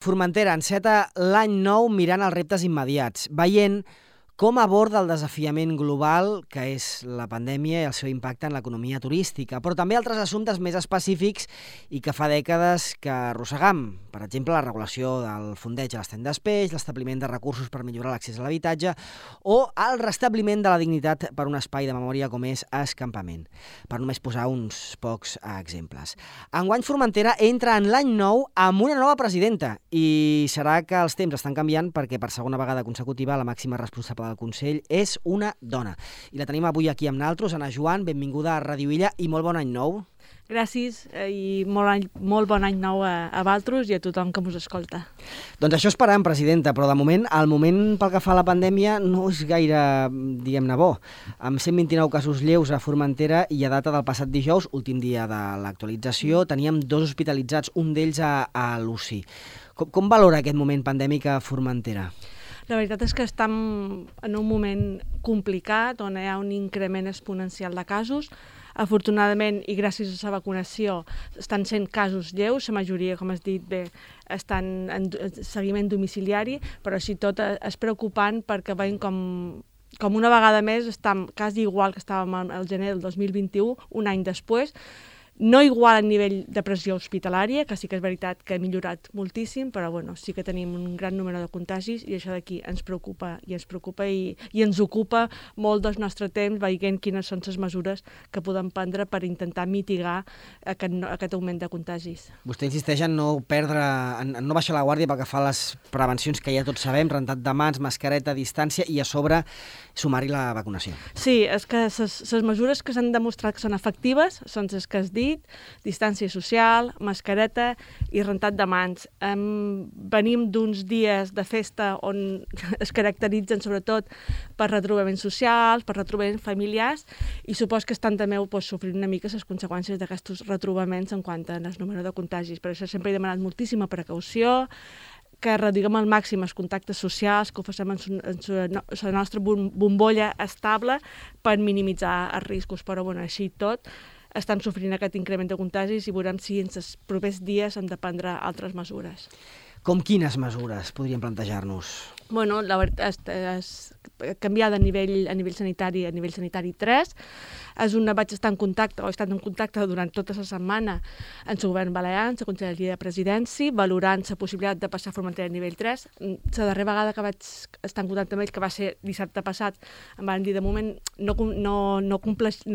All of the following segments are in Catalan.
Formentera enceta l'any nou mirant els reptes immediats, veient com aborda el desafiament global que és la pandèmia i el seu impacte en l'economia turística, però també altres assumptes més específics i que fa dècades que arrossegam. Per exemple, la regulació del fondeig a l'estany d'espeix, l'establiment de recursos per millorar l'accés a l'habitatge o el restabliment de la dignitat per un espai de memòria com és Escampament, per només posar uns pocs exemples. Enguany Formentera entra en l'any nou amb una nova presidenta i serà que els temps estan canviant perquè per segona vegada consecutiva la màxima responsable del Consell és una dona. I la tenim avui aquí amb naltros. Anna Joan, benvinguda a Ràdio Illa i molt bon any nou. Gràcies i molt bon any nou a vosaltres i a tothom que us escolta. Doncs això esperam, presidenta, però de moment, el moment pel que fa a la pandèmia no és gaire, diguem-ne, bo. Amb 129 casos lleus a Formentera i a data del passat dijous, últim dia de l'actualització, teníem 2 hospitalitzats, un d'ells a l'UCI. Com valora aquest moment pandèmic a Formentera? La veritat és que estem en un moment complicat on hi ha un increment exponencial de casos. Afortunadament, i gràcies a la vacunació, estan sent casos lleus, la majoria, com has dit bé, estan en seguiment domiciliari, però així tot és preocupant perquè veiem com una vegada més estem quasi igual que estàvem al gener del 2021, un any després, no igual a nivell de pressió hospitalària, que sí que és veritat que ha millorat moltíssim, però bueno, sí que tenim un gran número de contagis i això d'aquí ens preocupa i ens ocupa molt del nostre temps veient quines són les mesures que podem prendre per intentar mitigar aquest augment de contagis. Vostè insisteix en no baixar la guàrdia pel que fa a les prevencions que ja tots sabem, rentat de mans, mascareta, distància i a sobre sumar-hi la vacunació. Sí, és que les mesures que s'han demostrat que són efectives són les que has dit, distància social, mascareta i rentat de mans. Venim d'uns dies de festa on es caracteritzen sobretot per retrobaments socials, per retrobaments familiars i supos que estan també sofrint una mica les conseqüències d'aquests retrobaments en quant al número de contagis. Per això sempre he demanat moltíssima precaució, que reduïm al màxim els contactes socials, que ho facem en la nostra bombolla estable per minimitzar els riscos. Però bueno, així tot, estem sofrint aquest increment de contagis i veurem si en els propers dies hem de prendre altres mesures. Com quines mesures podríem plantejar-nos? Bueno, la veritat és canviar de nivell a nivell sanitari 3. Vaig estar en contacte, o he estat en contacte durant tota la setmana amb el govern balear, amb la Conselleria de Presidència, valorant la possibilitat de passar a Formentera a nivell 3. La darrera vegada que vaig estar en contacte amb ells, que va ser dissabte passat, em van dir, de moment no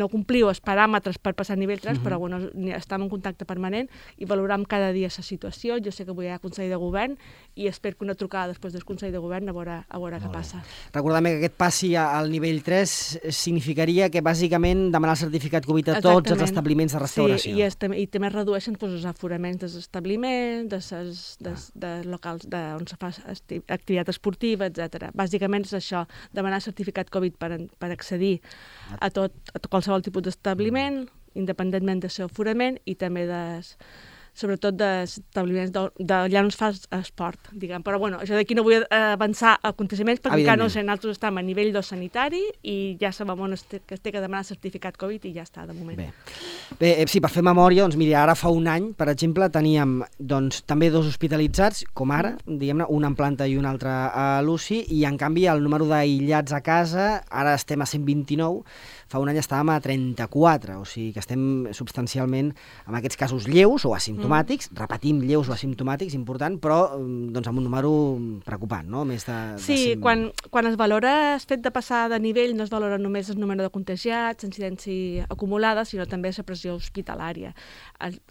compliu els paràmetres per passar a nivell 3, però bueno, estem en contacte permanent i valoram cada dia la situació. Jo sé que avui hi ha Consell de Govern i espero que una trucada després del Consell de Govern a veure què passa. Recordem que aquest passi al nivell 3 significaria que bàsicament demanar el certificat Covid a tots els establiments de restauració. Sí, i també redueixen els aforaments dels establiments, de locals on se fa activitat esportiva, etc. Bàsicament és això, demanar certificat Covid per accedir a qualsevol tipus d'establiment, independentment del seu aforament i també sobretot d'establiments allà on es fa esport, diguem. Però bueno, això d'aquí no vull avançar aconteciments perquè encara no sé, nosaltres estem a nivell sanitari i ja sabem on es té que demanar certificat Covid i ja està, de moment. Bé, sí, per fer memòria, doncs miri, ara fa un any, per exemple, teníem també 2 hospitalitzats, com ara, diguem-ne, un en planta i un altre a l'UCI, i en canvi el número d'aïllats a casa, ara estem a 129, fa un any estàvem a 34, o sigui que estem substancialment amb aquests casos lleus o asimptomàtics, repetim, lleus o asimptomàtics, important, però doncs amb un número preocupant, no? Més de sí, quan es valora el fet de passar de nivell, no es valora només el número de contagiats, incidència acumulada, sinó també la pressió hospitalària.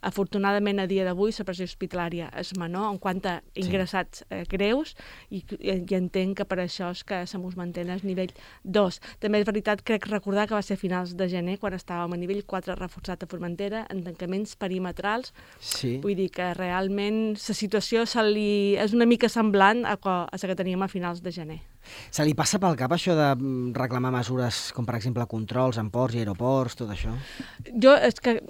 Afortunadament, a dia d'avui, la pressió hospitalària és menor en quant a ingressats greus i entenc que per això és que se mos manté al nivell 2. També és veritat, crec recordar que va ser a finals de gener, quan estàvem a nivell 4 reforçat a Formentera, en tancaments perimetrals. Sí. Vull dir que realment la situació és una mica semblant a la que teníem a finals de gener. Se li passa pel cap això de reclamar mesures com, per exemple, controls en ports i aeroports, tot això? Jo és que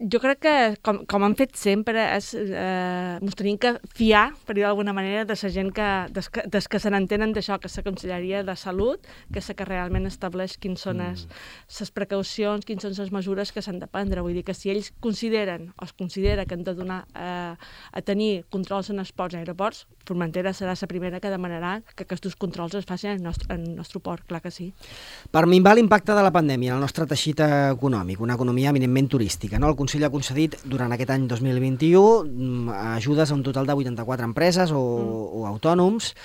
Jo crec que, com han fet sempre, ens tenim que fiar, per dir d'alguna manera, de la gent que se n'entenen d'això, que és la Conselleria de Salut, que és la que realment estableix quines són les precaucions, quines són les mesures que s'han de prendre. Vull dir que si ells consideren o es considera que han de donar a tenir controls en els ports i aeroports, Formentera serà la primera que demanarà que aquests controls es facin en el nostre port, clar que sí. Per minvar l'impacte de la pandèmia en el nostre teixit econòmic, una economia eminentment turística, no? El Consell ha concedit durant aquest any 2021 ajudes a un total de 84 empreses o autònoms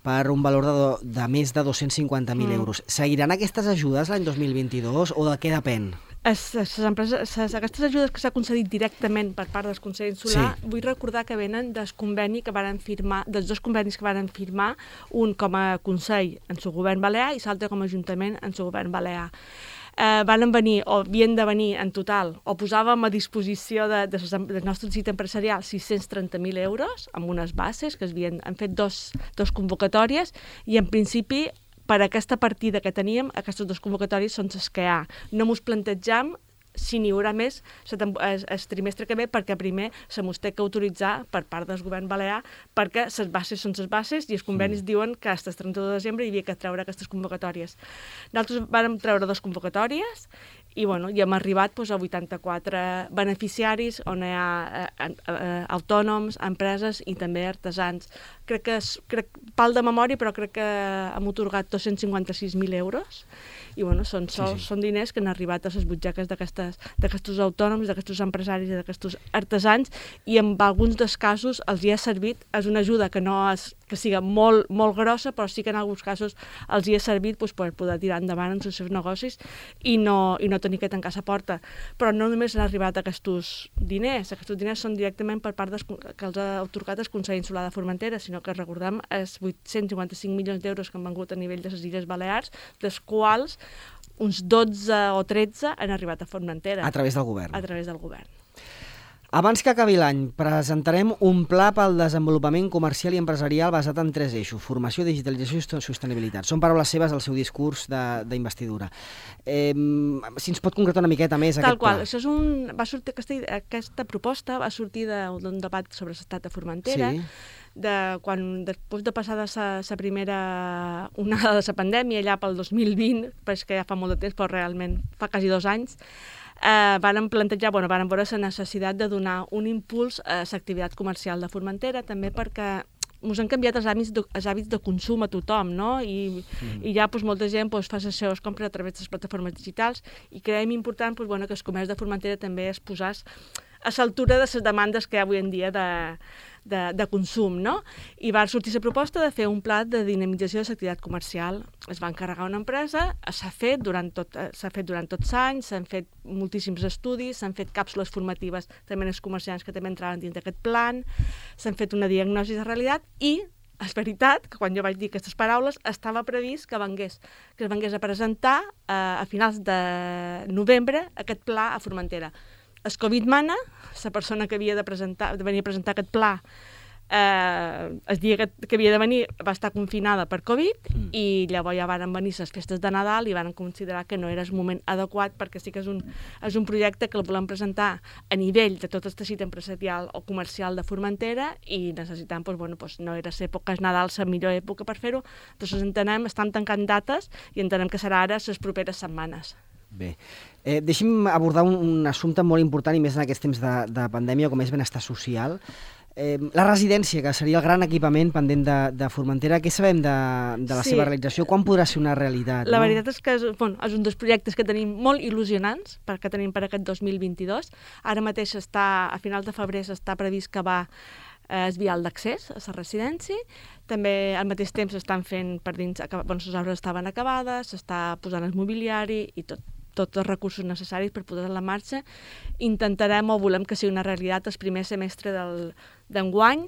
per un valor de més de 250.000 euros. Seguiran aquestes ajudes l'any 2022 o de què depèn? Aquestes ajudes que s'ha concedit directament per part del Consell Insular, vull recordar que venen dels convenis que varen firmar, dels dos convenis que varen firmar, un com a Consell en el govern balear i l'altre com a Ajuntament en el govern balear. Van venir, o havien de venir en total, o posàvem a disposició del nostre teixit empresarial 630.000 euros amb unes bases que han fet dos convocatòries i en principi per aquesta partida que teníem, aquestes dues convocatòries són les que hi ha. No mos plantejam si n'hi haurà més el trimestre que ve, perquè primer se mos té que autoritzar per part del govern balear, perquè les bases són les bases i els convenis diuen que fins el 31 de desembre hi havia que treure aquestes convocatòries. Nosaltres vam treure dues convocatòries i hem arribat a 84 beneficiaris on hi ha autònoms, empreses i també artesans. Crec pal de memòria, però crec que hem atorgat 256.000 euros i són diners que han arribat a les butxaques d'aquests autònoms, d'aquests empresaris i d'aquests artesans, i en alguns dels casos els hi ha servit. És una ajuda que no és que siga molt, molt grossa, però sí que en alguns casos els hi ha servit per poder tirar endavant els seus negocis i no tenir que tancar la porta. Però no només han arribat aquests diners són directament per part que els ha atorgat el Consell Insular de Formentera, sinó que recordem els 855 milions d'euros que han vengut a nivell de les Illes Balears, dels quals uns 12 o 13 han arribat a Formentera. A través del govern. A través del govern. Abans que acabi l'any, presentarem un pla pel desenvolupament comercial i empresarial basat en 3 eixos: formació, digitalització i sostenibilitat. Són paraules seves al seu discurs d'investidura. Si ens pot concretar una miqueta més aquest pla. Tal qual. Aquesta proposta va sortir d'un debat sobre l'estat de Formentera, després de passar de la primera onada de la pandèmia, allà pel 2020, perquè ja fa molt de temps, però realment fa quasi 2 anys, varen veure la necessitat de donar un impuls a l'activitat comercial de Formentera, també perquè ens han canviat els hàbits de consum a tothom, no? I ja molta gent fa les seves compres a través de les plataformes digitals i creiem important que el comerç de Formentera també es posés a l'altura de les demandes que hi ha avui en dia de consum, no? I va sortir la proposta de fer un pla de dinamització de l'activitat comercial. Es va encarregar una empresa, s'ha fet durant tots anys, s'han fet moltíssims estudis, s'han fet càpsules formatives també als comerciants que també entraven dins d'aquest plan, s'han fet una diagnosi de realitat i és veritat que quan jo vaig dir aquestes paraules estava previst que es vengués a presentar a finals de novembre aquest pla a Formentera. El Covid mana, la persona que havia de venir a presentar aquest pla el dia que havia de venir va estar confinada per Covid i llavors ja van venir les festes de Nadal i van considerar que no era el moment adequat, perquè sí que és un projecte que el volem presentar a nivell de tot el teixit empresarial o comercial de Formentera i necessitam, no era l'època Nadal la millor època per fer-ho, doncs estan tancant dates i entenem que serà ara les properes setmanes. Bé, deixi'm abordar un assumpte molt important i més en aquests temps de pandèmia, com és benestar social. La residència, que seria el gran equipament pendent de Formentera, què sabem de la seva realització? Quan podrà ser una realitat? La veritat és que és un dels projectes que tenim molt il·lusionants que tenim per aquest 2022. Ara mateix a finals de febrer està previst que va el vial d'accés a la residència. També al mateix temps s'estan fent per dins, les obres estaven acabades, s'està posant el mobiliari i tots els recursos necessaris per posar en la marxa. Intentarem o volem que sigui una realitat el primer semestre d'enguany.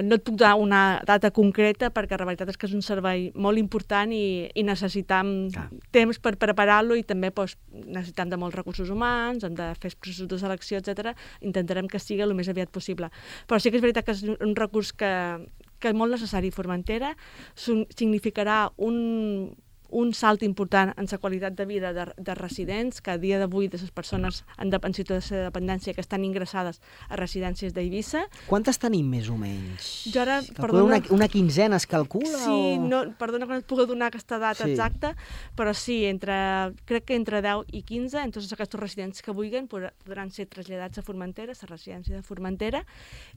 No et puc donar una data concreta perquè la veritat és que és un servei molt important i necessitam temps per preparar-lo i també necessitam de molts recursos humans, hem de fer processos de selecció, etc. Intentarem que sigui el més aviat possible. Però sí que és veritat que és un recurs que és molt necessari a Formentera. Significarà un un salt important en la qualitat de vida de residents, que a dia d'avui de les persones en situació de dependència que estan ingressades a residències d'Eivissa. Quantes tenim més o menys? Jo ara, perdona... Una quinzena es calcula? Sí, perdona que no et pugui donar aquesta data exacta, però sí, crec que entre 10 i 15, en tots aquests residents que vulguin, podran ser traslladats a Formentera, a la residència de Formentera,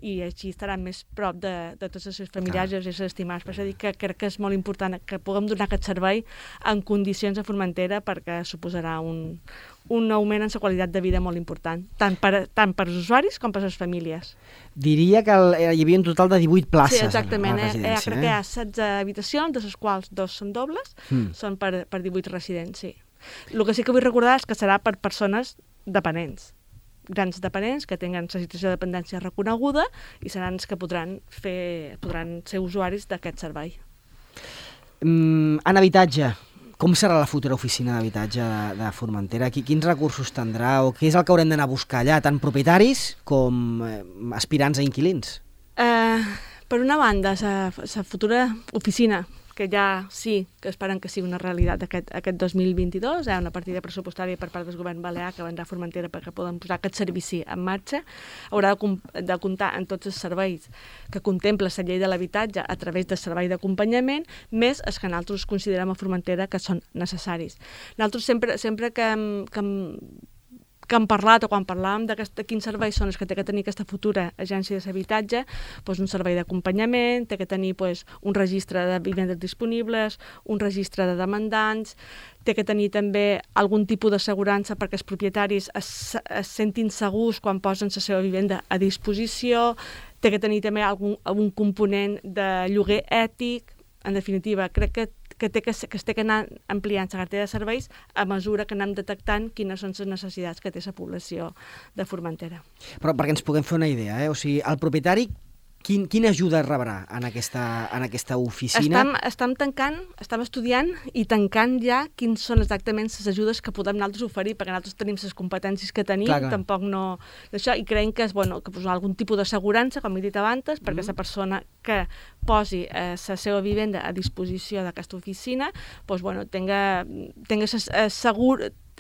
i així estaran més prop de tots els seus familiars i els seus estimats. Per això dic que crec que és molt important que puguem donar aquest servei en condicions a Formentera, perquè suposarà un augment en la qualitat de vida molt important, tant per als usuaris com per a les famílies. Diria que hi havia un total de 18 places. Sí, exactament. A la residència. Crec que hi ha 16 habitacions, de les quals 2 són dobles, són per 18 residents, sí. El que sí que vull recordar és que serà per persones dependents, grans dependents que tinguin la situació de dependència reconeguda i seran els que podran ser usuaris d'aquest servei. En habitatge, com serà la futura oficina d'habitatge de Formentera? Quins recursos tindrà o què és el que haurem d'anar a buscar allà, tant propietaris com aspirants a inquilins? Per una banda, la futura oficina, que ja sí que esperen que sigui una realitat aquest 2022, hi ha una partida pressupostària per part del govern balear que vendrà a Formentera perquè poden posar aquest servici en marxa, haurà de comptar en tots els serveis que contempla la llei de l'habitatge a través del servei d'acompanyament, més els que nosaltres considerem a Formentera que són necessaris. Nosaltres sempre que hem parlat o quan parlàvem de quins serveis són els que té que tenir aquesta futura agència d'habitatge, doncs un servei d'acompanyament, té que tenir un registre de vivendes disponibles, un registre de demandants, té que tenir també algun tipus d'assegurança perquè els propietaris es sentin segurs quan posen la seva vivenda a disposició, té que tenir també algun component de lloguer ètic. En definitiva, crec que es té que anar ampliant la cartera de serveis a mesura que anem detectant quines són les necessitats que té la població de Formentera. Però perquè ens puguem fer una idea, o sigui, el propietari quina ajuda rebrà en aquesta oficina? Estem estudiant i tancant ja quins són exactament les ajudes que podem nosaltres oferir, perquè nosaltres tenim les competències que tenim, tampoc no... Això, i creiem que és que posar algun tipus d'assegurança, com he dit abans, perquè la persona que posi la seva vivenda a disposició d'aquesta oficina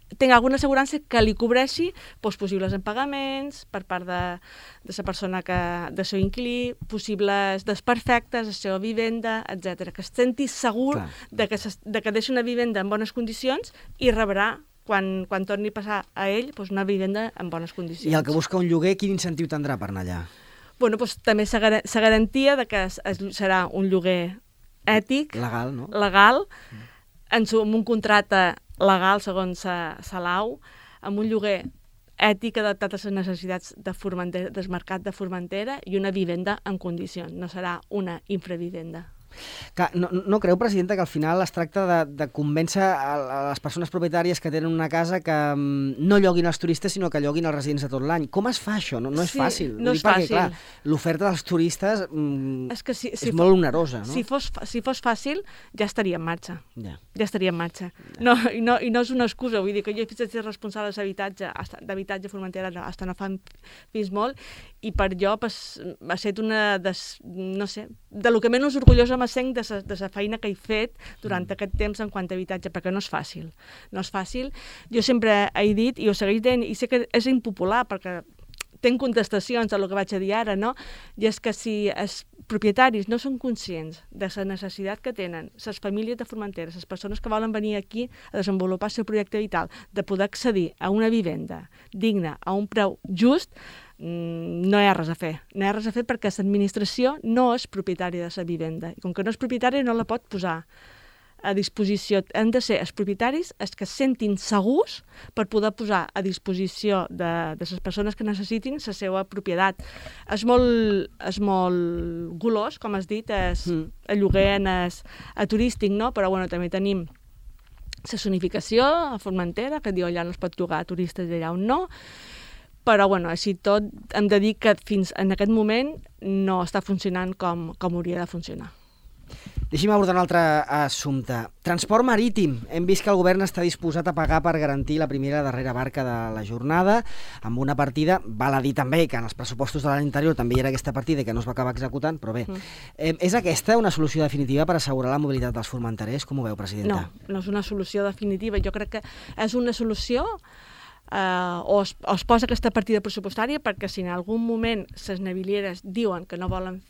tinga alguna assegurança que li cobreixi possibles impagaments per part de la persona de seu inquilí, possibles desperfectes, la seva vivenda, etc. Que es senti segur de que deixa una vivenda en bones condicions i rebrà, quan torni a passar a ell, una vivenda en bones condicions. I el que busca un lloguer, quin incentiu tindrà per anar allà? També la garantia de que serà un lloguer ètic, legal, no? Legal, amb un contracte legal segons la lau, amb un lloguer ètic adaptat a les necessitats del mercat de Formentera i una vivenda en condicions, no serà una infravivenda. No creu, presidenta, que al final es tracta de convèncer a les persones propietàries que tenen una casa que no lloguin els turistes, sinó que lloguin els residents de tot l'any? Com es fa això? No és fàcil. No és fàcil. Perquè, clar, l'oferta dels turistes és molt onerosa, no? Si fos fàcil, ja estaria en marxa. Ja estaria en marxa. I no és una excusa, vull dir que jo he fet ser responsable d'habitatge Formentera fins no fa fins molt, i per jo ha estat una de lo que menys orgullosa m'assenc de la feina que he fet durant aquest temps en quant a habitatge, perquè no és fàcil. No és fàcil. Jo sempre he dit, i ho segueix dient, i sé que és impopular, perquè tenc contestacions a el que vaig a dir ara, no? I és que si els propietaris no són conscients de la necessitat que tenen les famílies de Formentera, les persones que volen venir aquí a desenvolupar el seu projecte vital, de poder accedir a una vivenda digna, a un preu just, no hi ha res a fer. No hi ha res a fer perquè l'administració no és propietària de la vivenda. I com que no és propietària, no la pot posar a disposició. Han de ser els propietaris els que es sentin segurs per poder posar a disposició de les persones que necessitin la seva propietat. És molt golós, com has dit, el lloguer a turístic, no? Però també tenim la zonificació a Formentera, que diu allà no es pot llogar a turistes i allà on no. Però, així tot, hem de dir que fins en aquest moment no està funcionant com hauria de funcionar. Deixi'm abordar un altre assumpte. Transport marítim. Hem vist que el govern està disposat a pagar per garantir la primera i la darrera barca de la jornada, amb una partida, val a dir també que en els pressupostos de l'any anterior també hi era aquesta partida que no es va acabar executant, però bé. És aquesta una solució definitiva per assegurar la mobilitat dels formenterers? Com ho veu, presidenta? No és una solució definitiva. Jo crec que és una solució o es posa aquesta partida pressupostària perquè si en algun moment les navilieres diuen que no volen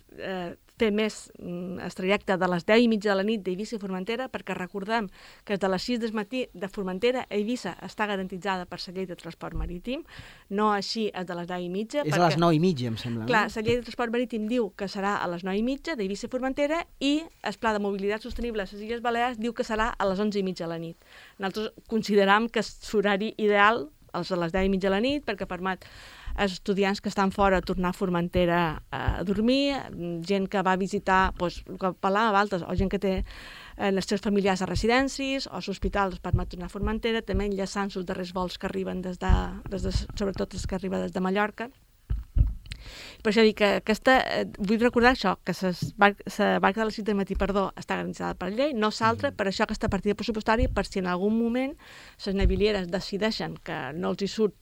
fer més el trajecte de les 10:30 de la nit d'Eivissa a Formentera, perquè recordem que de les 6 del matí de Formentera a Eivissa està garantitzada per la llei de transport marítim, no així és de les 10:30. És a les 9:30, em sembla. Clar, la llei de transport marítim diu que serà a les 9:30 d'Eivissa a Formentera i el Pla de Mobilitat Sostenible a les Illes Balears diu que serà a les 11:30 de la nit. Nosaltres consideram que l'horari ideal és a les 10:30 de la nit perquè permet als estudiants que estan fora tornar a Formentera a dormir, gent que va a visitar, doncs, el que parlàvem abans, o gent que té els seus familiars a residències o a l'hospital permet tornar a Formentera, també enllaçant els darrers vols que arriben sobretot els que arriben des de Mallorca. Per això dic que vull recordar això, que la barca de les 6 del matí, està garantitzada per llei, no s'altra, per això aquesta partida pressupostària, per si en algun moment les navilieres decideixen que no els hi surt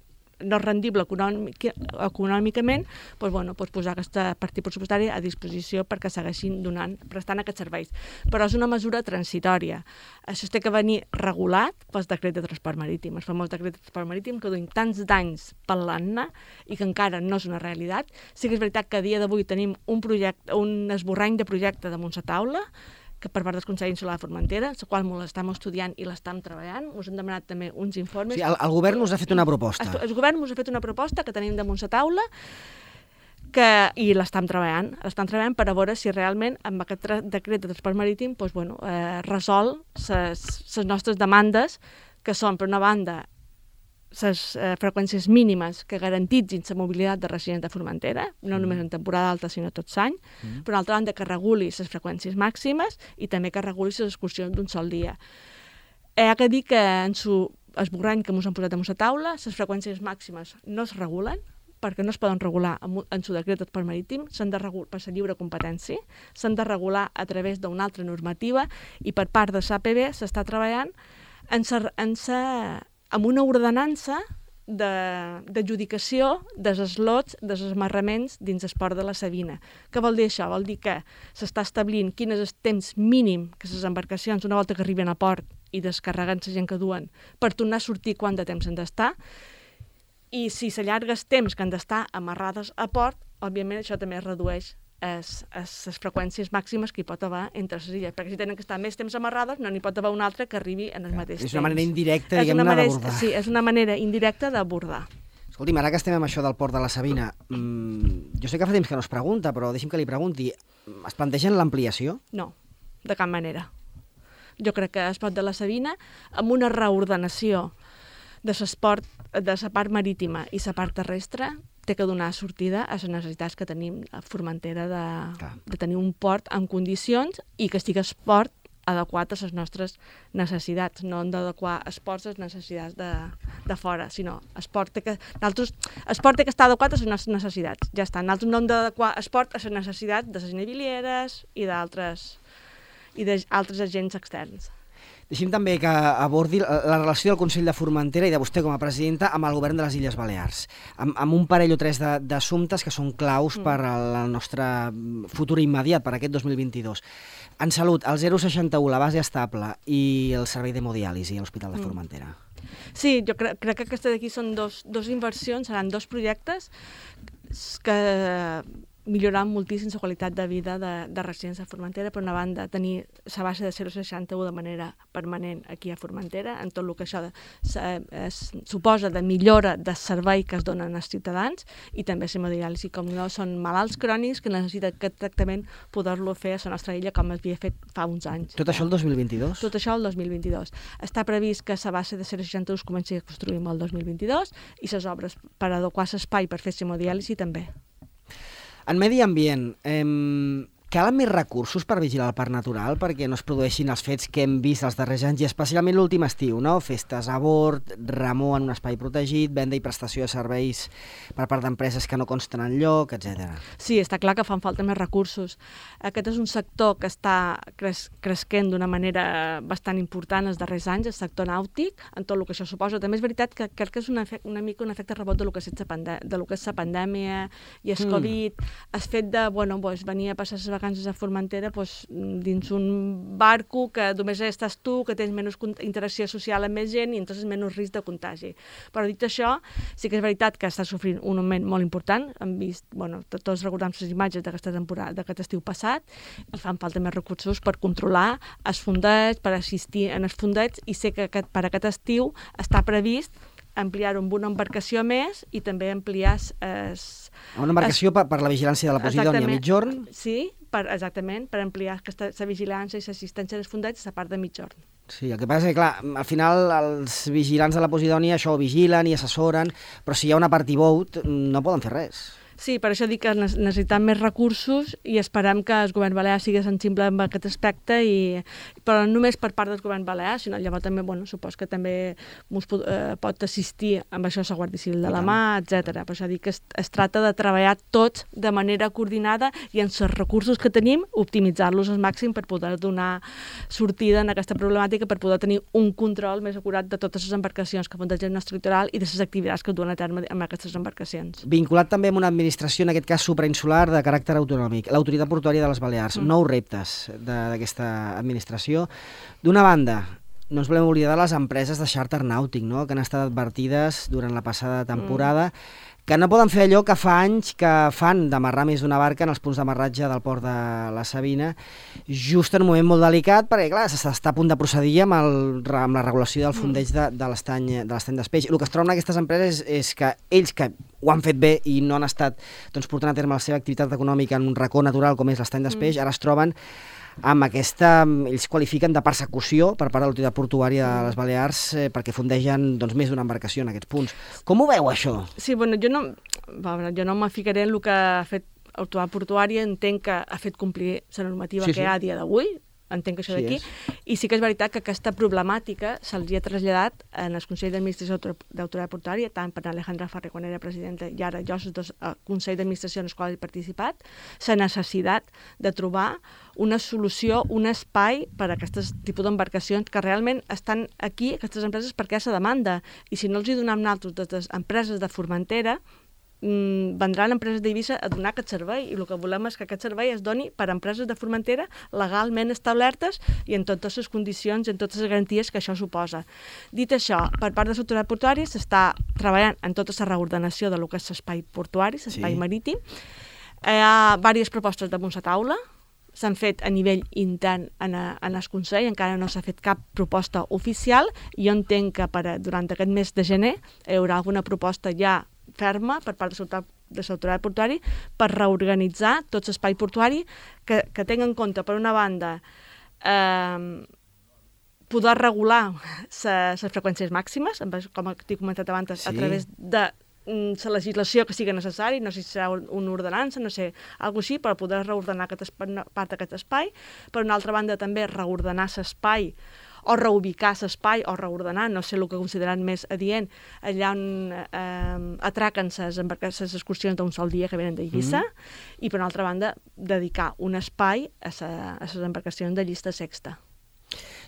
no és rendible econòmicament, doncs posar aquesta partida pressupostària a disposició perquè segueixin prestant aquests serveis. Però és una mesura transitòria. Això té que venir regulat pel decret de transport marítim, el famós decret de transport marítim que duim tants d'anys parlant-ne i que encara no és una realitat. Sí que és veritat que a dia d'avui tenim un esborrany de projecte damunt la taula, que per part del Consell Insular de Formentera, el qual l'estem estudiant i l'estem treballant. Us hem demanat també uns informes. Sí, el govern us ha fet una proposta. El govern us ha fet una proposta que tenim damunt la taula i l'estem treballant. L'estem treballant per a veure si realment amb aquest decret de transport marítim resol les nostres demandes, que són, per una banda, les freqüències mínimes que garantitzin la mobilitat de residents de Formentera, no només en temporada alta, sinó tot l'any. Per una altra banda, que reguli les freqüències màximes i també que reguli les excursions d'un sol dia. Hi ha que dir que en l'esborrany que ens han posat damunt la taula, les freqüències màximes no es regulen, perquè no es poden regular en el decret de transport marítim, s'han de regular per la lliure competència, s'han de regular a través d'una altra normativa i per part de l'APB s'està treballant amb una ordenança d'adjudicació dels slots, dels esmarraments dins el port de la Sabina. Què vol dir això? Vol dir que s'està establint quin és el temps mínim que les embarcacions, una volta que arriben a port i descarreguen la gent que duen, per tornar a sortir quant de temps han d'estar, i si s'allarga el temps que han d'estar amarrades a port, òbviament això també es redueix les freqüències màximes que hi pot haver entre les illes, perquè si tenen que estar més temps amarrades no n'hi pot haver una altra que arribi en el mateix temps. És una manera indirecta, diguem-ne, d'abordar. Sí, és una manera indirecta d'abordar. Escolti'm, ara que estem amb això del port de la Sabina, jo sé que fa temps que no es pregunta, però deixi'm que li pregunti, es plantegen l'ampliació? No, de cap manera. Jo crec que el port de la Sabina, amb una reordenació de la part marítima i la part terrestre, té que donar sortida a les necessitats que tenim a Formentera de tenir un port en condicions i que estigui el port adequat a les nostres necessitats. No hem d'adequar els ports a les necessitats de fora, sinó el port té que estar adequat a les nostres necessitats. Ja està. Nosaltres no hem d'adequar el port a les necessitats de les navilieres i d'altres agents externs. Deixi'm també que abordi la relació del Consell de Formentera i de vostè com a presidenta amb el govern de les Illes Balears, amb un parell o tres d'assumptes que són claus per al nostre futur immediat, per aquest 2022. En salut, el 061, la base estable i el servei d'hemodiàlisi a l'Hospital de Formentera. Sí, jo crec que aquesta d'aquí són dos inversions, seran dos projectes que millorar moltíssim la qualitat de vida de residents de Formentera. Per una banda, tenir la base de 061 de manera permanent aquí a Formentera, en tot el que això suposa de millora de servei que es donen als ciutadans, i també l'hemodiàlisi, com no són malalts crònics que necessiten aquest tractament, poder-lo fer a la nostra illa com es havia fet fa uns anys. Tot això el 2022? Tot això el 2022. Està previst que la base de 061 es comenci a construir el 2022 i les obres per adequar l'espai per fer l'hemodiàlisi també. En medi ambient, què Calen més recursos per vigilar el parc natural perquè no es produeixin els fets que hem vist els darrers anys i especialment l'últim estiu, no? Festes a bord, remor en un espai protegit, venda i prestació de serveis per part d'empreses que no consten enlloc, etc. Sí, està clar que fan falta més recursos. Aquest és un sector que està cresquent d'una manera bastant important els darrers anys, el sector nàutic, en tot el que això suposa. També és veritat que crec que és una mica un efecte rebot de lo que és la pandèmia i el Covid, el fet de, venir a passar les vacances a Formentera dins un barco que només estàs tu, que tens menys interacció social amb més gent i entonces menys risc de contagi. Però dit això, sí que és veritat que està sofrint un augment molt important. Hem vist, tots recordem les imatges d'aquesta temporada, d'aquest estiu passat, i fan falta més recursos per controlar els fondets, per assistir en els fondets, i sé que per aquest estiu està previst ampliar-ho amb una embarcació més i també ampliar... Una embarcació per la vigilància de la Posidònia a mitjorn? Sí, exactament, per ampliar la vigilància i l'assistència dels fondets a part de mitjorn. Sí, el que passa és que, clar, al final els vigilants de la Posidònia això ho vigilen i assessoren, però si hi ha una party boat no poden fer res. Sí, per això dic que necessitem més recursos i esperem que el govern balear sigui sensible amb aquest aspecte, però no només per part del govern balear, sinó llavors també, supos que també pot assistir amb això la Guàrdia Civil de la mà, etc. Per això dic que es tracta de treballar tots de manera coordinada i amb els recursos que tenim, optimitzar-los al màxim per poder donar sortida en aquesta problemàtica, per poder tenir un control més acurat de totes les embarcacions que fondegen el nostre litoral i de les activitats que duen a terme amb aquestes embarcacions. Vinculat també amb una administració, en aquest cas suprainsular, de caràcter autonòmic, l'Autoritat Portuària de les Balears. Nous reptes d'aquesta administració. D'una banda, no ens volem oblidar de les empreses de xàrter nàutic, no?, que han estat advertides durant la passada temporada, que no poden fer allò que fa anys que fan, d'amarrar més d'una barca en els punts d'amarratge del port de la Sabina, just en un moment molt delicat, perquè, clar, s'està a punt de procedir amb la regulació del fondeig de l'estany d'Espeix. El que es troben aquestes empreses és que ells, que ho han fet bé i no han estat portant a terme la seva activitat econòmica en un racó natural com és l'estany d'Espeix, ara es troben amb aquesta, ells qualifiquen de persecució per part de l'Autoritat Portuària de les Balears perquè fondegen més d'una embarcació en aquests punts. Com ho veu, això? Sí, jo no me ficaré en el que ha fet l'Autoritat Portuària, entenc que ha fet complir la normativa que hi ha a dia d'avui, entenc això d'aquí, i sí que és veritat que aquesta problemàtica se'ls ha traslladat en el Consell d'Administració d'Autoritat Portuària, tant per Alejandra Ferrer, quan era presidenta, i ara jo, els dos Consell d'Administració en els quals he participat, la necessitat de trobar una solució, un espai per a aquests tipus d'embarcacions que realment estan aquí, aquestes empreses, perquè hi ha la demanda, i si no els hi donem nosaltres des les empreses de Formentera, vendran empreses d'Eivissa a donar aquest servei, i el que volem és que aquest servei es doni per a empreses de Formentera legalment establertes i en totes les condicions i en totes les garanties que això suposa. Dit això, per part de l'Autoritat Portuària s'està treballant en tota la reordenació de lo que és l'espai portuari, l'espai marítim. Hi ha diverses propostes damunt la taula, s'han fet a nivell intern en el Consell, encara no s'ha fet cap proposta oficial, i jo entenc que durant aquest mes de gener hi haurà alguna proposta ja ferma per part de l'Autoritat Portuària per reorganitzar tot l'espai portuari que tingui en compte, per una banda, poder regular les freqüències màximes, com he comentat abans, a través de la legislació que sigui necessari, no sé si serà una ordenança, no sé, alguna així, per poder reordenar part d'aquest espai. Per una altra banda, també reordenar l'espai o reubicar l'espai o reordenar, no sé el que consideren més adient, allà on atraquen les excursions d'un sol dia que venen d'Eivissa, i per una altra banda dedicar un espai a les embarcacions de llista sexta.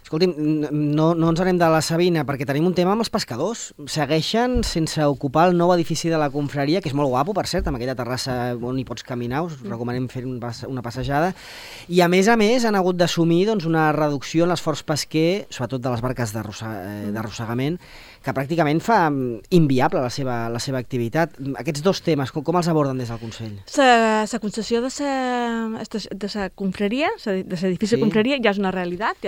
Escolti'm, no ens anem de la Sabina, perquè tenim un tema amb els pescadors. Segueixen sense ocupar el nou edifici de la confraria, que és molt guapo, per cert, amb aquella terrassa on hi pots caminar, us recomanem fer una passejada. I a més, han hagut d'assumir una reducció en l'esforç pesquer, sobretot de les barques d'arrossegament, que pràcticament fa inviable la seva activitat. Aquests dos temes, com els aborden des del Consell? La concessió de la confraria, de l'edifici de confraria, ja és una realitat,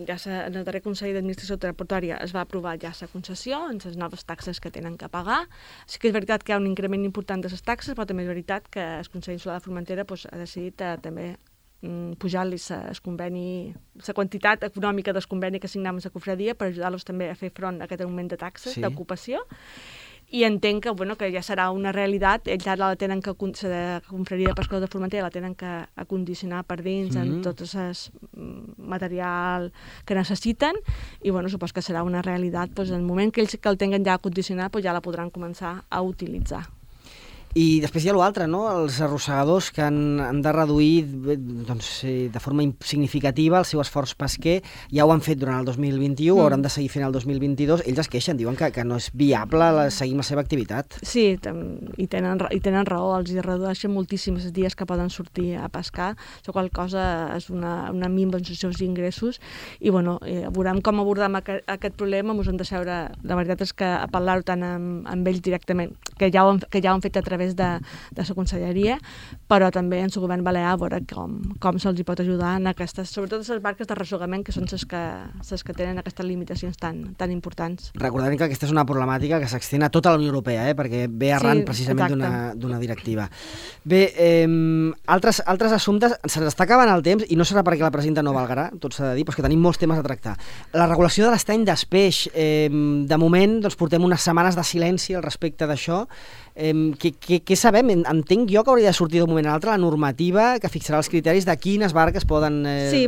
en el darrer Consell d'Administració Portuària es va aprovar ja la concessió, amb les noves taxes que tenen que pagar. Sí que és veritat que hi ha un increment important de les taxes, però també és veritat que el Consell Insular de Formentera ha decidit també pujar-li la quantitat econòmica del conveni que signàvem amb la confraria per ajudar-los també a fer front a aquest augment de taxes d'ocupació. i entenc que, que ja serà una realitat. Ells ara la tenen que, la Confraria de Pescadors de Formentera la tenen que acondicionar per dins amb tot el material que necessiten, i supos que serà una realitat. En el moment que ells el tinguen ja acondicionat, ja la podran començar a utilitzar. I després hi ha l'altre, no? Els arrossegadors que han de reduir de forma significativa el seu esforç pesquer. Ja ho han fet durant el 2021, hauran de seguir fent el 2022. Ells es queixen, diuen que no és viable seguir la seva activitat. Sí, i tenen raó. Els hi redueixen moltíssims els dies que poden sortir a pescar. La qual cosa és una minva en els seus ingressos. I veurem com abordem aquest problema. Ens hem de seure, la veritat és que a parlar-ho tant amb ells directament, que ja ho han fet a través de la conselleria, però també en el govern balear a veure com se'ls pot ajudar en aquestes, sobretot les barques d'arrossegament, que són les que tenen aquestes limitacions tan importants. Recordem que aquesta és una problemàtica que s'extén a tota la Unió Europea, perquè ve arran precisament d'una directiva. Bé, altres assumptes, se'ns està acabant el temps, i no serà perquè la presidenta no valgarà, tot s'ha de dir, però és que tenim molts temes a tractar. La regulació de l'estany d'espeix, de moment portem unes setmanes de silenci al respecte d'això. Què sabem? Entenc jo que hauria de sortir d'un moment a l'altre la normativa que fixarà els criteris de quines barques poden... Sí,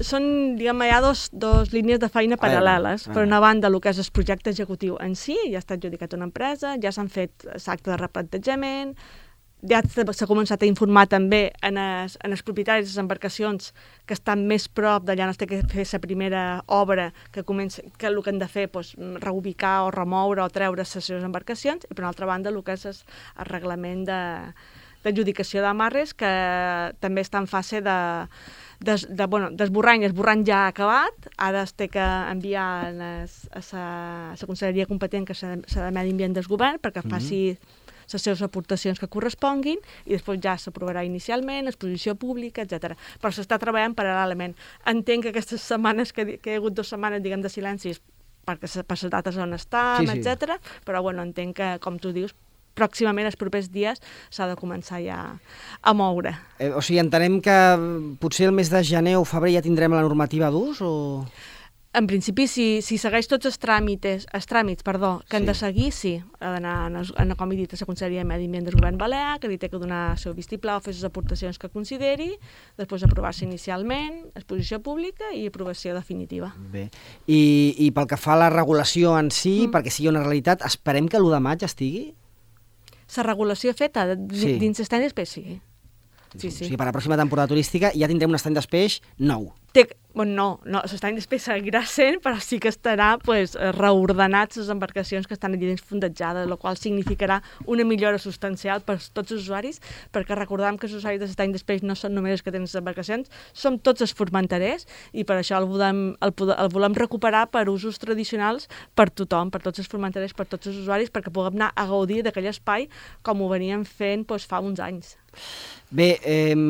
són diguem, hi ha dos línies de feina paral·leles. Per una banda, el que és el projecte executiu en si, ja està adjudicat una empresa, ja s'han fet l'acte de replantejament, ja s'ha començat a informar també en els propietaris de les embarcacions que estan més prop d'allà on es té que fer la primera obra, que el que han de fer reubicar o remoure o treure les seves embarcacions, i per una altra banda el que és el reglament d'adjudicació d'amarres, que també està en fase d'esborrany. L'esborrany ja ha acabat, ara es té que enviar a la conselleria competent, que s'ha de Medi Ambient del govern, perquè faci les seves aportacions que corresponguin, i després ja s'aprovarà inicialment, exposició pública, etc. Però s'està treballant paral·lelament. Entenc que aquestes setmanes, que hi ha hagut 2 setmanes, diguem, de silencis, perquè per les dates on estem, etc. Però entenc que, com tu dius, pròximament, els propers dies, s'ha de començar ja a moure. O sigui, entenem que potser el mes de gener o febrer ja tindrem la normativa d'ús, o...? En principi, si segueix tots els tràmits que han de seguir, sí. Ha d'anar, com he dit, a la Conselleria de Medi Ambient del Govern Balear, que li té que donar el seu vistiplau, fer les aportacions que consideri, després aprovar-se inicialment, exposició pública i aprovació definitiva. Bé. I pel que fa a la regulació en si, perquè sigui una realitat, esperem que l'1 de maig estigui? La regulació feta dins l'estany d'espeix, sí. O sigui, per a la pròxima temporada turística ja tindrem un estany d'espeix nou. No, l'estany d'espeix seguirà sent, però sí que estarà reordenats les embarcacions que estan allà dins fondejades, el qual significarà una millora substancial per tots els usuaris, perquè recordem que els usuaris de l'estany d'espeix no són només els que tenen les embarcacions, som tots els formenterers, i per això el volem recuperar per usos tradicionals per tothom, per tots els formenterers, per tots els usuaris, perquè puguem anar a gaudir d'aquell espai com ho veníem fent fa uns anys. Bé,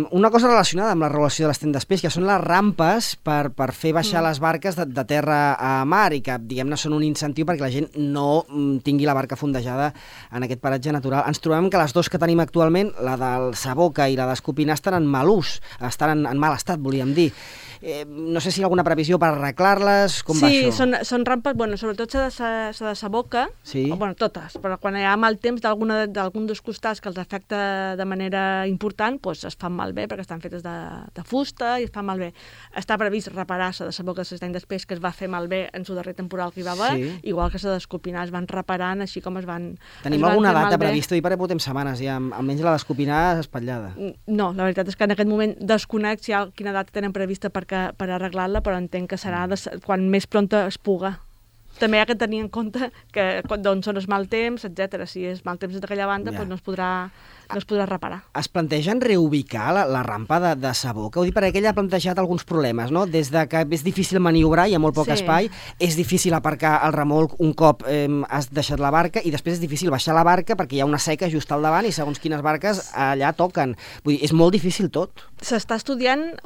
una cosa relacionada amb la regulació de l'estany d'espeix, que són les rampes per fer baixar les barques de terra a mar, i que, diguem-ne, són un incentiu perquè la gent no tingui la barca fondejada en aquest paratge natural. Ens trobem que les dues que tenim actualment, la del Saboca i la d'Escopinar, estan en mal ús, estan en mal estat, volíem dir. No sé si hi ha alguna previsió per arreglar-les, com va això? Sí, són rampes, sobretot la de Saboca, totes, però quan hi ha mal temps d'algun dels costats que els afecta de manera important, es fan malbé, perquè estan fetes de fusta i es fan malbé. Està previst reparar-se de Saboca de l'estany d'espeix, que es va fer malbé en el darrer temporal que hi va haver, igual que la d'Escopinar es van reparant, així com es van... Tenim alguna data prevista? I perquè portem setmanes ja, almenys la d'Escopinar espatllada. No, la veritat és que en aquest moment desconec quina data tenen prevista per arreglar-la, però entenc que serà quan més pronta es puga. També hi ha que tenir en compte d'on són els mal temps, etc. Si és mal temps d'aquella banda, no es podrà reparar. Es plantegen reubicar la rampa de Saboca? Ho dic perquè ella ha plantejat alguns problemes, no? Des de que és difícil maniobrar, hi ha molt poc espai, és difícil aparcar el remolc un cop has deixat la barca, i després és difícil baixar la barca perquè hi ha una seca just al davant i segons quines barques allà toquen. Vull dir, és molt difícil tot. S'està estudiant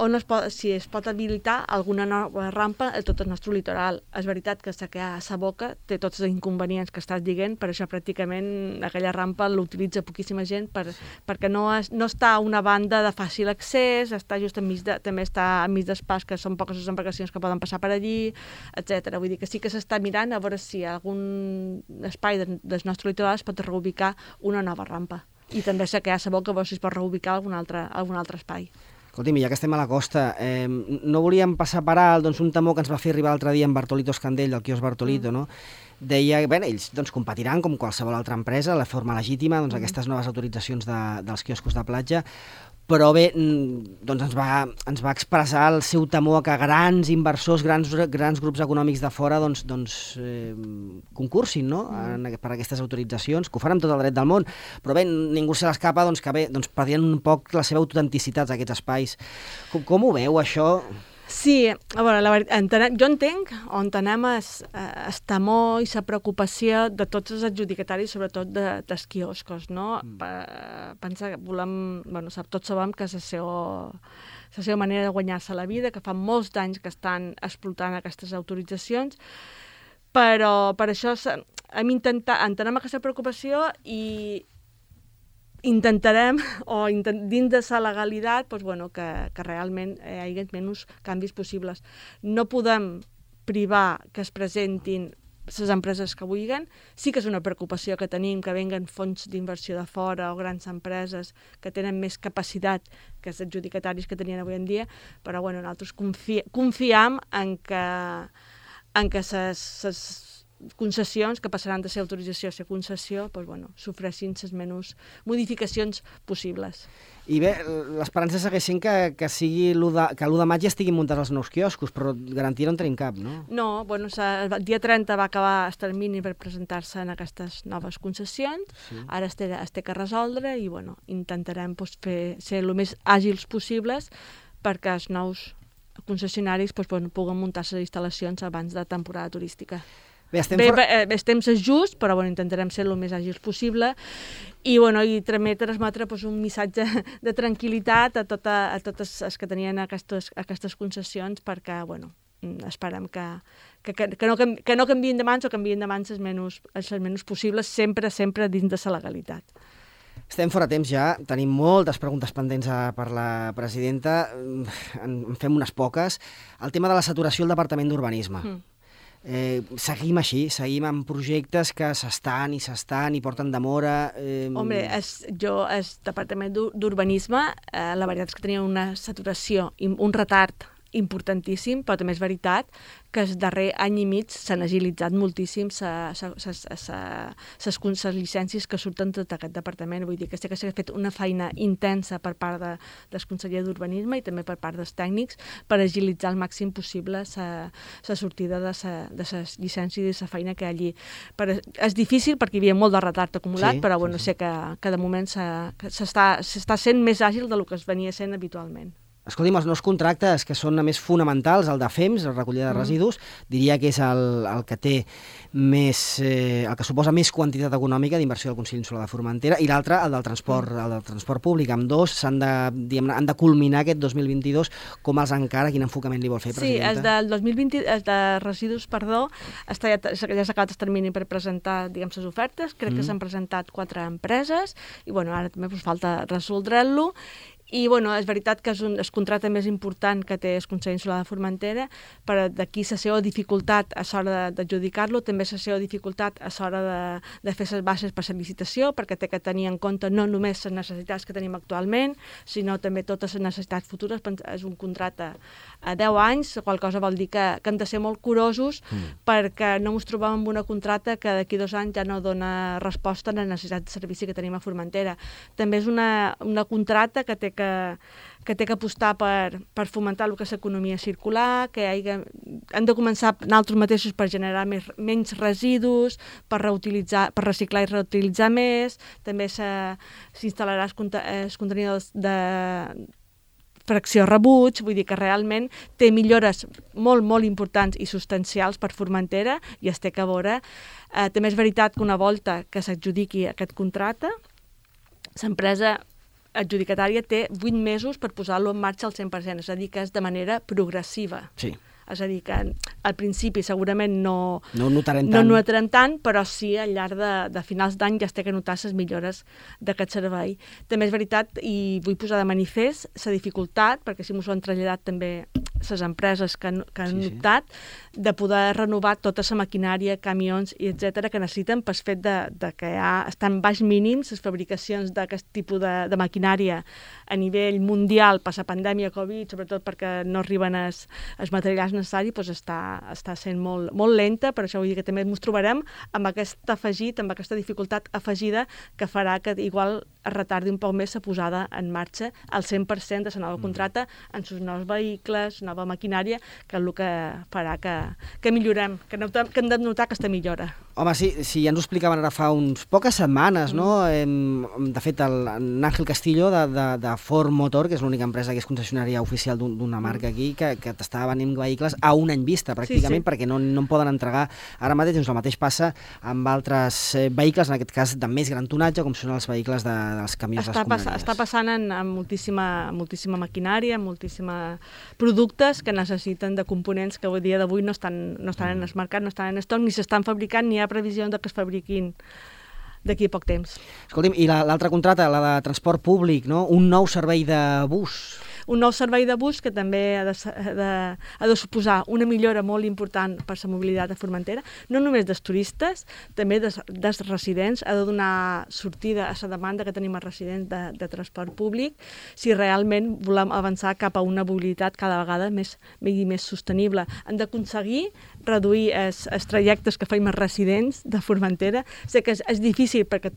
si es pot habilitar alguna nova rampa a tot el nostre litoral. És veritat que a Saboca té tots els inconvenients que estàs dient, per això pràcticament aquella rampa l'utilitza poquíssima gent per perquè no està a una banda de fàcil accés, està just també està enmig d'espais que són poques les embarcacions que poden passar per allí, etc. Vull dir que sí que s'està mirant a veure si algun espai del nostre litoral es pot reubicar una nova rampa. I també sé que hi ha sabó que si es pot reubicar algun altre espai. Escolti'm, ja que estem a la costa, no volíem passar per alt un temor que ens va fer arribar l'altre dia en Bartolito Escandell, del quiosc Bartolito, no? Deia que ells competiran com qualsevol altra empresa, de forma legítima, aquestes noves autoritzacions dels quioscos de platja, però bé, ens va expressar el seu temor que grans inversors, grans grups econòmics de fora concursin, no? Per aquestes autoritzacions, que ho fan amb tot el dret del món, però bé, ningú se l'escapa que perdien un poc la seva autenticitat aquests espais. Com ho veu, això? Sí, a veure, la veritat, jo entenc on anem el temor i la preocupació de tots els adjudicataris, sobretot dels quioscos, no? Pensa que volem, tots sabem que és la seva manera de guanyar-se la vida, que fa molts anys que estan explotant aquestes autoritzacions, però per això entenem aquesta preocupació i intentarem, dins de la legalitat, que realment hi hagi menys canvis possibles. No podem privar que es presentin les empreses que vulguin. Sí que és una preocupació que tenim, que venguen fons d'inversió de fora o grans empreses que tenen més capacitat que els adjudicataris que tenien avui en dia, però nosaltres confiem en que les concessions, que passaran de ser autorització a ser concessió, sofreixin les menys modificacions possibles. I bé, l'esperança segueix sent que l'1 de maig ja estiguin muntats els nous quioscos, però garantia no en tenim cap, no? No, el dia 30 va acabar el termini per presentar-se en aquestes noves concessions, ara es té que resoldre i intentarem ser el més àgils possibles perquè els nous concessionaris puguen muntar les instal·lacions abans de temporada turística. El temps és just, però intentarem ser el més àgils possible i transmetre un missatge de tranquil·litat a tots els que tenien aquestes concessions perquè esperem que no canviïn de mans o canviïn de mans els menys possibles, sempre dins de la legalitat. Estem fora temps ja, tenim moltes preguntes pendents per la presidenta, en fem unes poques. El tema de la saturació al Departament d'Urbanisme. Seguim així, seguim amb projectes que s'estan i porten demora. Home, el Departament d'Urbanisme, la veritat és que tenia una saturació, un retard importantíssim, però també és veritat que el darrer any i mig s'han agilitzat moltíssim les llicències que surten tot aquest departament. Vull dir que s'ha fet una feina intensa per part del conseller d'Urbanisme i també per part dels tècnics per agilitzar al màxim possible la sortida de les llicències i la feina que hi ha allí. És difícil perquè hi havia molt de retard acumulat, però sé que de moment s'està sent més àgil del que es venia sent habitualment. Escolti'm, els nous contractes, que són a més fonamentals, el de FEMS, la recollida de residus, diria que és el que té més, el que suposa més quantitat econòmica d'inversió del Consell Insular de Formentera, i l'altre, el del transport públic. Amb dos han de culminar aquest 2022. Com els encara? Quin enfocament li vol fer, presidenta? Sí, el del 2020, el de residus, ja s'ha acabat el termini per presentar, les ofertes. Crec que s'han presentat 4 empreses i ara també falta resoldre-lo. I és veritat que és el contracte més important que té el Consell Insular de Formentera, però d'aquí la seva dificultat a l'hora d'adjudicar-lo, també la seva dificultat a l'hora de fer les bases per la licitació, perquè té que tenir en compte no només les necessitats que tenim actualment, sinó també totes les necessitats futures. És un contracte a 10 anys, la qual cosa vol dir que hem de ser molt curosos perquè no ens trobem amb una contracte que d'aquí 2 anys ja no dona resposta a les necessitats de servici que tenim a Formentera. També és una contracte que té que apostar per fomentar el que és l'economia circular, que hem de començar nosaltres mateixos per generar menys residus, per reciclar i reutilitzar més. També s'instal·larà els contenidors de fracció rebuig, vull dir que realment té millores molt, molt importants i substancials per Formentera i es té que veure. També és veritat que una volta que s'adjudiqui aquest contracte, l'empresa adjudicatària té 8 mesos per posar-lo en marxa al 100%, és a dir, que és de manera progressiva. Sí. És a dir, que al principi segurament no ho notarem tant, però sí al llarg de finals d'any ja es té que notar les millores d'aquest servei. També és veritat, i vull posar de manifest la dificultat, perquè si m'ho han traslladat també les empreses que han optat, de poder renovar tota la maquinària, camions i etcètera que necessiten pel fet de que ja estan baix mínims les fabricacions d'aquest tipus de maquinària a nivell mundial per la pandèmia Covid, sobretot perquè no arriben els materials necessaris, doncs està sent molt, molt lenta, per això vull dir que també ens trobarem amb aquest afegit, amb aquesta dificultat afegida que farà que igual es retardi un poc més la posada en marxa al 100% de la nova contracta en els nous vehicles, nova maquinària, que és el que farà que millorem, que hem de notar aquesta millora. Home, sí, ja ens ho explicaven ara fa uns poques setmanes, no? De fet, l'Àngel Castillo de Ford Motor, que és l'única empresa que és concessionària oficial d'una marca aquí, que t'estava venint vehicles a un any vista, pràcticament, perquè no en poden entregar ara mateix. Doncs el mateix passa amb altres vehicles, en aquest cas de més gran tonatge, com són els vehicles dels camions d'escombraries. Està passant amb moltíssima maquinària, moltíssims productes que necessiten de components que a dia d'avui no estan en el mercat, no estan en estoc, ni s'estan fabricant, ni hi ha previsió que es fabriquin d'aquí a poc temps. Escolti'm, i l'altra contracta, la de transport públic, no? Un nou servei de bus. Un nou servei de bus que també ha de suposar una millora molt important per la mobilitat a Formentera, no només dels turistes, també dels residents, ha de donar sortida a la demanda que tenim als residents de transport públic, si realment volem avançar cap a una mobilitat cada vegada més sostenible. Hem d'aconseguir reduir els trajectes que fem els residents de Formentera. Sé que és difícil perquè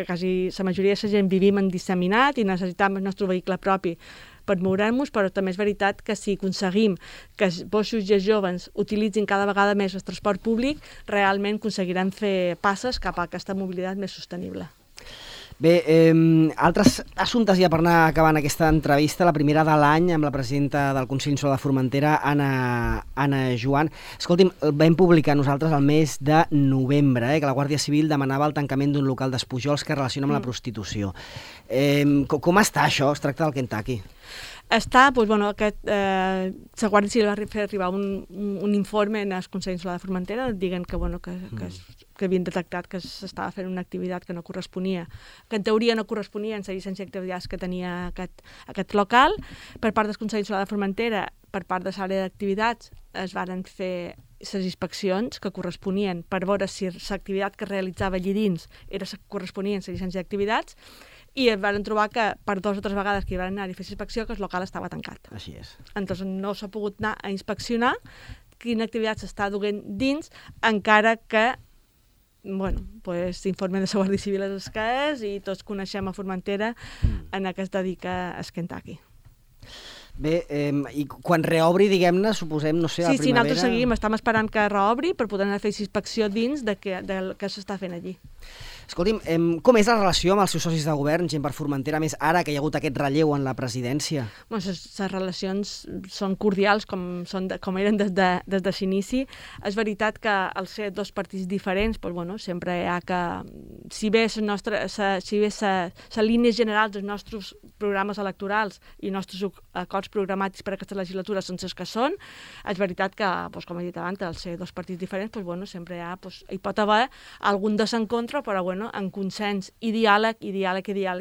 quasi la majoria de la gent vivim en disseminat i necessitem el nostre vehicle propi per moure'ns, però també és veritat que si aconseguim que els boixos i els joves utilitzin cada vegada més el transport públic, realment aconseguirem fer passes cap a aquesta mobilitat més sostenible. Bé, altres assumptes ja per anar acabant aquesta entrevista, la primera de l'any amb la presidenta del Consell Insular de Formentera, Anna Joan. Escolti'm, vam publicar nosaltres el mes de novembre que la Guàrdia Civil demanava el tancament d'un local d'Espujols que es relaciona amb la prostitució. Com està això? Es tracta del Kentucky. La Guàrdia Civil va fer arribar un informe en el Consell Insular de Formentera dient que havien detectat que s'estava fent una activitat que no corresponia, que en teoria no corresponia en la llicència d'activitats que tenia aquest local. Per part del Consell Insular de Formentera, per part de l'àrea d'activitats, es varen fer les inspeccions que corresponien per veure si l'activitat que realitzava allí dins corresponia a la llicència d'activitats, i es van trobar que per 2 o 3 vegades que hi van anar a fer inspecció que el local estava tancat. Així és. Entonces no s'ha pogut anar a inspeccionar quina activitat s'està duent dins, encara que l'informe de la Guàrdia Civil és el que és i tots coneixem a Formentera en què es dedica a Kentucky. Bé, i quan reobri, diguem-ne, suposem, no sé, a la primavera... Sí, nosaltres seguim, estem esperant que reobri per poder anar a fer inspecció dins del que s'està fent allí. Escolti'm, com és la relació amb els seus socis de govern, gent per Formentera, més ara que hi ha hagut aquest relleu en la presidència? Les relacions són cordials, com eren des de l'inici. És veritat que al ser 2 partits diferents, sempre hi ha que... Si bé la línia general dels nostres programes electorals i els nostres acords programàtics per a aquesta legislatura són els que són, és veritat que, com he dit abans, al ser 2 partits diferents, sempre hi pot haver algun desencontre, però en consens i diàleg,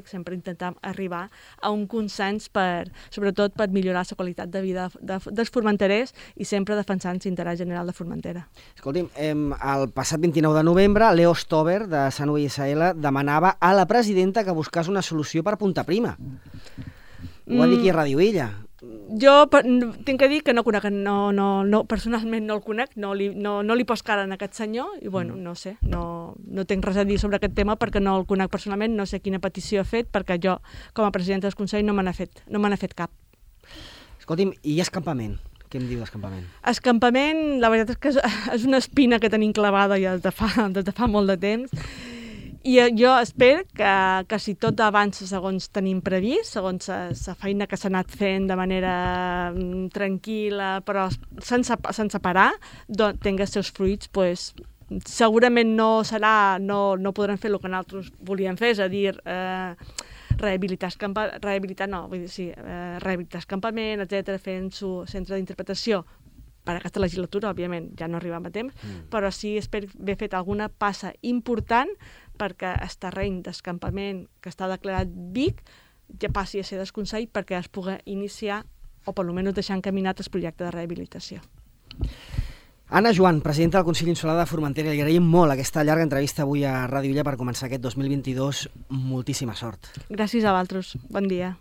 sempre intentem arribar a un consens sobretot per millorar la qualitat de vida dels formenterers i sempre defensant l'interès general de Formentera. Escolti'm, el passat 29 de novembre, Leo Stover, de Sant UISL, demanava a la presidenta que buscés una solució per Punta Prima. Ho va dir aquí a Ràdio Illa. Jo tinc que dir que no conec, personalment no el conec, no li poso cara a aquest senyor i no sé, no tinc res a dir sobre aquest tema perquè no el conec personalment, no sé quina petició ha fet perquè jo com a presidenta del Consell no me n'ha fet cap. Escolti'm, i escampament? Què em diu d'escampament? Escampament, la veritat és que és una espina que tenim clavada ja des de fa molt de temps. I jo espero que si tot avança segons tenim previst, segons la feina que s'ha anat fent de manera tranquil·la, però sense parar, tingui els seus fruits, segurament no podran fer el que nosaltres volíem fer, és a dir, rehabilitar escampament, etc., fent su centre d'interpretació per aquesta legislatura, òbviament, ja no arribem a temps, però sí espero haver fet alguna passa important perquè el terreny d'escampament que està declarat Vic ja passi a ser desconsell perquè es pugui iniciar o per almenys deixar encaminat el projecte de rehabilitació. Anna Joan, presidenta del Consell Insular de Formentera, li agraïm molt aquesta llarga entrevista avui a Ràdio Illa per començar aquest 2022. Moltíssima sort. Gràcies a vosaltres. Bon dia.